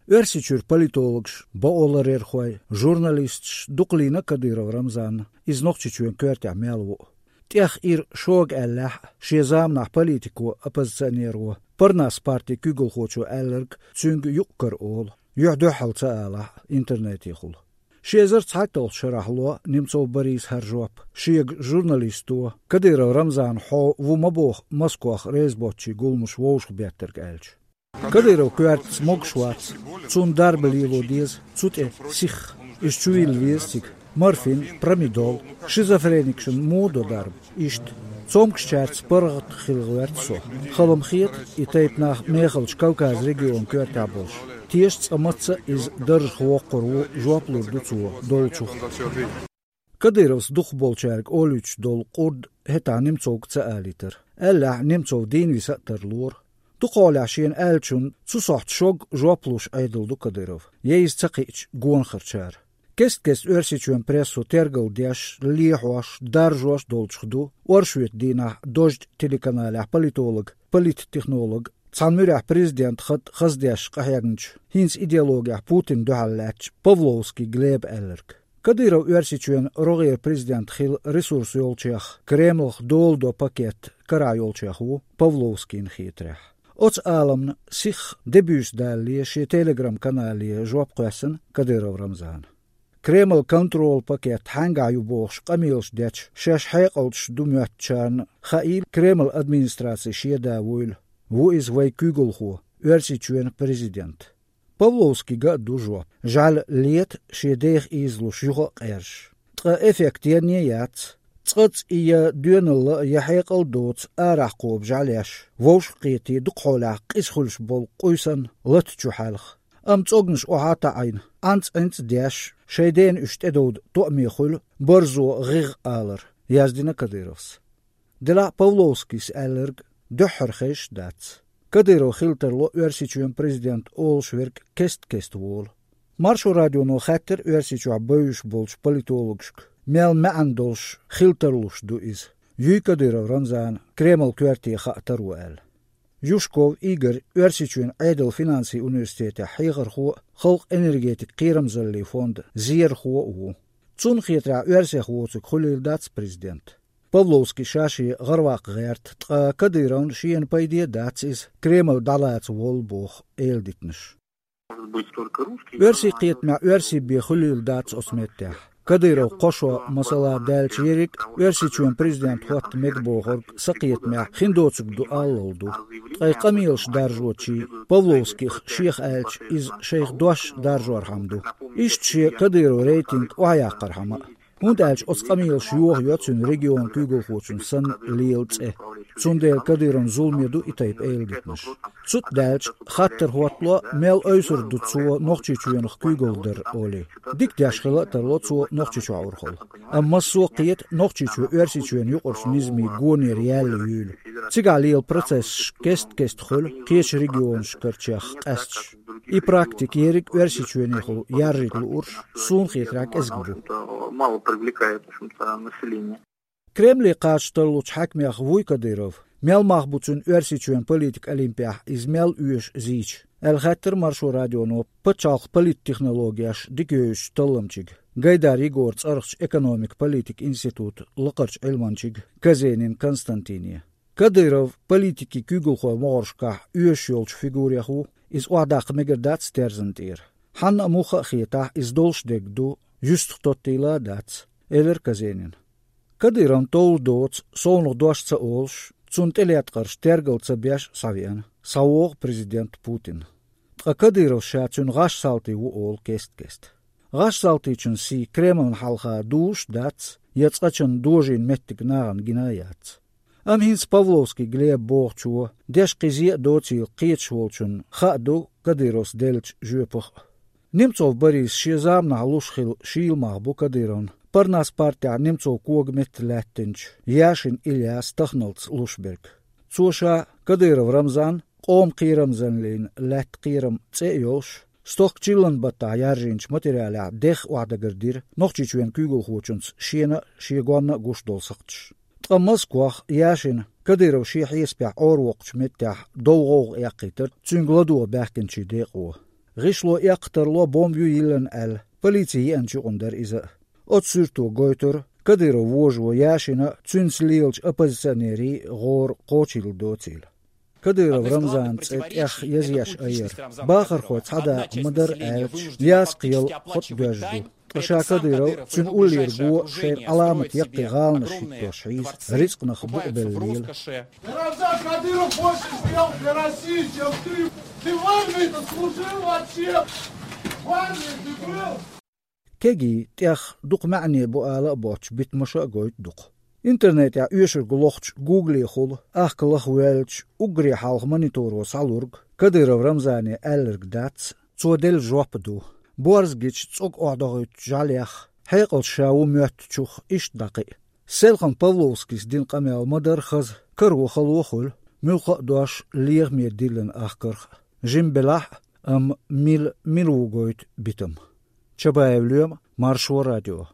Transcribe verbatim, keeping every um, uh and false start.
Оьрсийчуьра политологаш, бакъоларъярхой, журналисташ дукха лийна Кадыров Рамзанна, иза Нохчийчоьнан коьртехь мел ву. ТӀех ира шога аьллехь а, шен заманахь политико, оппозиционеро, Парнас партин куьйгалхочо аьлларг цуьнга юкъ-кара олу, юьхь-дуьхьал ца алахь а, интернетехула. Ши эзар цхьайтталгӀачу шарахь ло Немцов Бориса хӀара жоп, шега журналисто, Кадыров Рамзанна хьо ву ма боху Москох реза боцчийн гуламаш вовшахбеттарг аьлча. Кадыровн коьртаца могуш вац, цунна дарба лело деза, цу тӀе сихха. Иза чувилла веза цига морфин, промедол, шизофреникашна муха до дарба. Иштта. Цомгушчаьрца паргӀат хила гӀоьрта со. Хала-м хета и тайпа нах мехалчу Кавказан регионан коьртехь болуш. Теша цкъа мацца а иза даржах воккхур ву, жоп лур ду цо долчух. Кадыровс дукхахболчаьрга олуьйтуш долу къурд хӀетахь Немцовга ца алийтара. Аьллехь, Немцов дийна виса а тарлора. Дукхахьолехь шена аьллачунна цу сохьта шога жоп луш Ӏедал ду Кадыров, я иза ца кхиъча гонахарчара. Кест-кеста Оьрсийчоьнан прессо тергал деш, лехьош, даржош долчух ду оршотан дийнахь Дождь телеканалехь политолог, политтехнолог, цхьана муьрехь президентан хатӀ хаздеш къахьегначу, хӀинца идеологехь Путинна дуьхьал лаьттачу Павловский Глеба аьлларг. Кадыров Оьрсийчоьнан рогӀера президент хила ресурс йолчех, Кремлах дола до пакет карахь йолчех ву, Павловскийна хетарехь. Оцу Ӏаламна сихха дебуьйса далале шен Telegram-канале жоп кхоьссина Кадыров Рамзана. Кремлан контролан пакет хьаьнгахь ю бохуш къамелаш дечу, шаьш хьекъалташ ду моьттучарна хаийла Кремлан администрацин шен да вуйла. Ву иза вайн куьйгалхо, Оьрсийчоьнан президент. Павловскийга а ду жоп. ЖӀаьла лета шен деха ийзалуш юха а къержаш. Ткъа эффект енна а яц. Цкъацкъа и я доьналла а, я хьекъал а доцу арахь кхобу жӀаьлеш, вовшахкхетий дукхахьолехь къиза хуьлуш болу къуьйсанна лата чу хьаьлха. Амма цӀогнаш охьа а таӀийна, Ӏанца-Ӏинца а деш, шайн дена уьш тӀедовда тоъаме хуьлу барзо гӀигӀ алар, яздина Кадыровс. Делахь а Павловскийс аьлларг дуьххьара хезаш а дац. Кадыров хила тарло Оьрсийчоьнан президент олуш верг кест-кеста волу. Маршо радионо хаьттира Оьрсийчохь бевзаш болчу политологашка, мел маьӀна долуш хила тарлуш ду иза, юй Кадыров Рамзана Кремлан коьрте хаа таро аьлла. Юшков Игорь Оьрсийчоьнан Ӏедалан финансийн университетехь хьехархо а, халкъан энергетикан кхерамзаллин фондан зерахо а ву. Цунна хетарехь, оьрсех воцург хуьлийла дац президент. Павловский ша-шен гӀараваккха гӀерта, ткъа Кадыровна шена пайде а дац иза, Кремль дӀалаца воллу боху эладитанаш. Оьрсийн кхетамехь оьрсийн бен хуьлийла дац оцу меттехь. Кадыров кхо шо, масала, даьлча ерриг а Оьрсийчоьнан президент хӀотта мега бохург сан кхетамехь хин доцург ду аллал ду. Ткъа и къамелаш даржочийн, Павловскийх шех аьлча, иза шайх дош даржорхьама ду. Иштта шен Кадыровн рейтинг охьаяккхархьама а. ХӀунда аьлча оцу къамелаша йохайо цуьнан регионан куьйгалхочун санна лела цӀе. Цундела Кадыровн зуламе ду и тайпа эладитанаш. Цу тӀа даьлча, хаттар хӀоттало, мел ойсур ду цо Нохчийчоьнах куьйгалла дар олий. Дика деш хила а тарло цо Нохчийчохь урхалла. Амма массо а кхета Нохчийчоь Оьрсийчоьнан юкъарчу низамийн гонера яьлла юйла. Цигахь лела процессаш кест-кеста хуьлу кхечу регионашкарчех къаьсташ. И практика ерриг а Оьрсийчоьнехула яржийта луурш, суна хетарехь, кӀезиг бу. Мало привлекает, в общем-то, население. Кремле кхача тарлучу хьаькамех вуй Кадыров? Мел мах бу цуьнан Оьрсийчоьнан политикан олимпехь иза мел оьшу зийча? Аьлла хаьттира Маршо радионо пачхьалкхан политтехнологеш дика йовзачу талламчига, Гайдар Егоран цӀарахчу экономик-политикан институтан лакхарчу Ӏилманчига Казенин Константине. Кадыров политикийн куьйгалхойн могӀаршкахь оьшуш йолчу фигурех ву, иза охьадаккха мегар дац терзан тӀера. Хьанна а муха а хетахь, иза долуш дерг ду, юьстах тоттийла а дац, элира Казенина. Кадыровна товла доцу, совнаха дош ца олуш, цунна тӀелеткъарш тергал ца беш а схьавеана, схьавогӀу президент Путин. Ткъа Кадыровс ша цуьнан гӀаш салтий ву олу кест-кеста. ГӀаш салтийчун сий Кремлна хьалха дузуш а дац, я цкъачунна дожийна меттиг нахана гина а яц. Амма хӀинца Павловский Глеба бохучо, деш кхин зен а доцийла кхеташ волчунна, хаа ду Кадыровс деллачу жоьпах а. Немцов Бориса шен заманахь луш хилла шийла мах бу Кадыровна Парнас партехь Немцов коган метта лаьттинчу Яшин Ильяс тахналц луш берг. Цо ша Кадыров Рамзан, къоман кхерамзаллин лаьтта кхерам цӀе а йолуш, стохка чиллан баттахь яржийначу материалехь дехха охьадагар дира Нохчийчоьнан куьйгалхочунца шена а, шен гонна а гуш долу сакхташ. Ткъа Москох Яшина Кадыров шен хьесапехь Ӏоравоккхучу меттехь дов гӀовгӀа эккхийтира цуьнга ладогӀа баьхкинчийн декъо. ГӀишло эккхатарло бомба ю йиллина аьлла, полици еанчу юкъана дара иза. Оцу суьрто гойтура, Кадыров вожо Яшина а, цуьнца лелачу оппозиционерийн а гӀора кхочийла доцийла. Кадыров Рамзанан цӀе тӀех язъеш айъар. Бахархой цхьа дакъа ма-дарра аьлча, яз кхел хӀотӀа доьжна ду. Ткъа ша Кадыров, цуьнан уллера го шайна Ӏаламат яккхий гӀаланаш хӀиттош хьийза, рицкъанах букъ белла лела. Ты, Рамзан Кадыров, больше сделал для России, чем ты. Ты в армии-то служил вообще? В армии ты был? Кегий, тӀех дукха маьӀне бу ала а боцуш, битамаш а гойту дукха. Интернетехь оьшург лохучу Гуглехула ахка лаха воьллачу уггаре хьалха мониторо схьалург Кадыров Рамзане аьлларг дац, цо делла жоп а ду. Борз гича цӀог охьадохуьйтучу жӀаьлех хьекъалца ша ву моьттучух иштта дӀакхиъ. Селхан Павловскийс дина къамел ма-дарра хаза, каро хало а хуьлу, муьлхха а дош лехаме диллина ахкарх а. Жима белахь а, амма мила, мила ву гойту битам. Чабаев Лоьма, Маршо радио.